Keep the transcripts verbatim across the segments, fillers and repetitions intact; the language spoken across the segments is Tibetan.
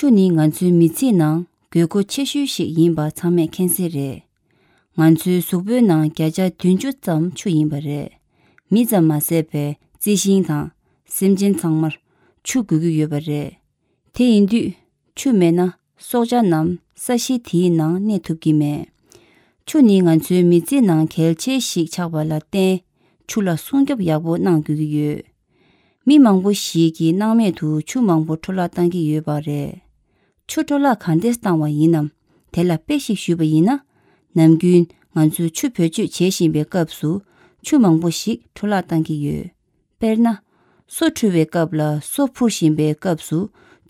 ཆུ་ནི་ང་ཚོའི་མི་ཚེའི་ནང་དགོས་མཁོ་ཆེ་ཤོས་ཤིག་ཡིན་པ་ཚང་མས་མཁྱེན་གསལ་རེད། ང་ཚོའི་གཟུགས་པོའི་ནང་བརྒྱ་ཆ་བདུན་ཅུ་ཙམ་ཆུ་ཡིན་པ་རེད། མི་ཙམ་མ་ཟད་པའི་རྩི་ཤིང་དང་སེམས་ཅན་ཚང་མར་ཆུ་དགོས་ཀྱི་ཡོད་པ་རེད། དེ་ཡིན་དུས་ཆུ་མེད་ན་སྲོག་ཆགས་རྣམས་ས་གཞི་དེའི་ནང་གནས་ཐུབ་ཀྱི་མེད། ཆུ་ནི་ང་ཚོའི་མི་ཚེའི་ནང་གལ་ཆེ་ཞིག་ཆགས་པ་ལ་བརྟེན་ཆུ་ལ་སྲུང་སྐྱོབ་ཡག་པོ་གནང་དགོས་ཀྱི་ཡོད། མི་མང་པོ་ཞིག་གིས་སྣང་མེད་དུ་ཆུ་མང་པོ་འཕྲོ་བརླག་བཏང་གི་ཡོད་པ་རེད། ཆུ་འཕྲོ་བརླག་གང་འདྲས་བཏང་བ་ཡིན་ནམ། དེ་ལ་དཔེ་ཞིག་ཞུས་པ་ཡིན་ན། ནམ་རྒྱུན་ང་ཚོས་ཆུ་བེད་སྤྱོད་བྱེད་བཞིན་པའི་སྐབས་སུ་ཆུ་མང་པོ་ཞིག་འཕྲོ་བརླག་བཏང་གི་ཡོད། དཔེར་ན། སོ་འཁྲུ་བའི་སྐབས་ལ་སོ་འཕུར་བཞིན་པའི་སྐབས་སུ་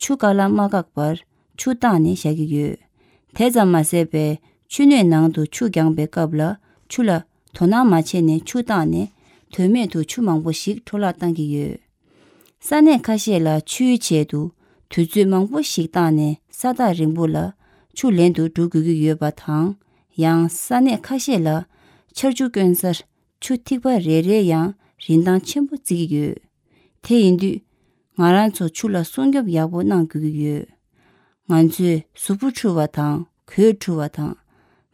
ཆུ་རྐ་ལ་མ་བཀག་པར་ཆུ་བཏང་ནས་བཞག་གི་ཡོད། དེ་ཙམ་མ་ཟད་པའི་ཆུ་སྣོད་ནང་དུ་ཆུ་རྒྱངས་པའི་སྐབས་ལ་ཆུ་ལ་དོ་སྣང་མ་བྱས་ནས་ཆུ་བཏང་ནས་དོན་མེད་དུ་ཆུ་མང་པོ་ཞིག་འཕྲོ་བརླག་བཏང་གི་ཡོད། ས་གནས་ཁ་ཤས་ལ་ཆུའི་ཆེད་དུ་དུས་ཚོད་མང་པོ་ཞིག་བཏང་ནས་ས་ཐག་རིང་པོ་ལ་ཆུ་ལེན་དུ་འགྲོ་དགོས་ཀྱི་ཡོད་པ་དང་། ཡང་ས་གནས་ཁ་ཤས་ལ་ཆར་ཆུ་དཀོན་སར་ཆུ་ཐིགས་པ་རེ་རེ་ཡང་རིན་ཐང་ཆེན་པོ་བརྩི་གི་ཡོད། དེ་ཡིན་དུས་ང་རང་ཚོ་ཆུ་ལ་སྲུང་སྐྱོབ་ཡག་པོ་གནང་དགོས་ཀྱི་ཡོད། ང་ཚོས་གཟུགས་པོ་འཁྲུ་བ་དང་གོས་འཁྲུ་བ་དང་།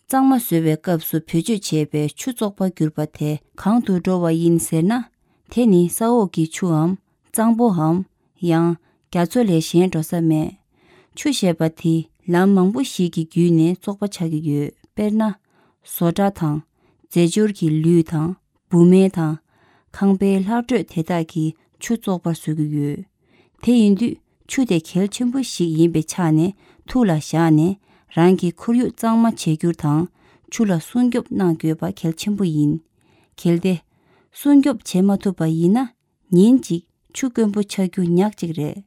གཙང་མ་བཟོ་བའི་སྐབས་སུ་བེད་སྤྱོད་བྱས་པའི་ཆུ་བཙོག་པ་གྱུར་པ་དེ་གང་དུ་འགྲོ་བ་ཡིན་ཟེར་ན། དེ་ནི་ས་འོག་གི་ཆུའམ། གཙང་པོའམ། ཡང་རྒྱ་མཚོ་ལས་གཞན་འགྲོ་ས་མེད། ཆུ་ཞེས་པ་དེ་ལམ་མང་པོ་ཞིག་གི་བརྒྱུད་ནས་བཙོག་པ་ཆགས་ཀྱི་ཡོད། དཔེར་ན། བཟོ་གྲྭ་དང་། རྫས་སྦྱོར་གྱི་ལུད་དང་། བུད་མེད་དང་། ཁང་པའི་ལྷག་འཕྲོས་དེ་དག་གིས་ཆུ་བཙོག་པར་བཟོ་གི་ཡོད། དེ་ཡིན་དུས་ཆུ་དེ་གལ་ཆེན་པོ་ཞིག་ཡིན་པའི་ཆ་ནས་ཐུགས་ལ་བཞག་ནས་རང་གི་ཁོར་ཡུག་གཙང་མ་བྱེད་རྒྱུ་དང་། ཆུ་ལ་སྲུང་སྐྱོབ་གནང་དགོས་པ་གལ་ཆེན་པོ་ཡིན། གལ་ཏེ། སྲུང་སྐྱོབ་བྱེད་མ་ཐུབ་པ་ཡིན་ན། ཉིན་གཅིག་ཆུ་དཀོན་པོ་ཆགས་རྒྱུ་ཉག་གཅིག་རེད།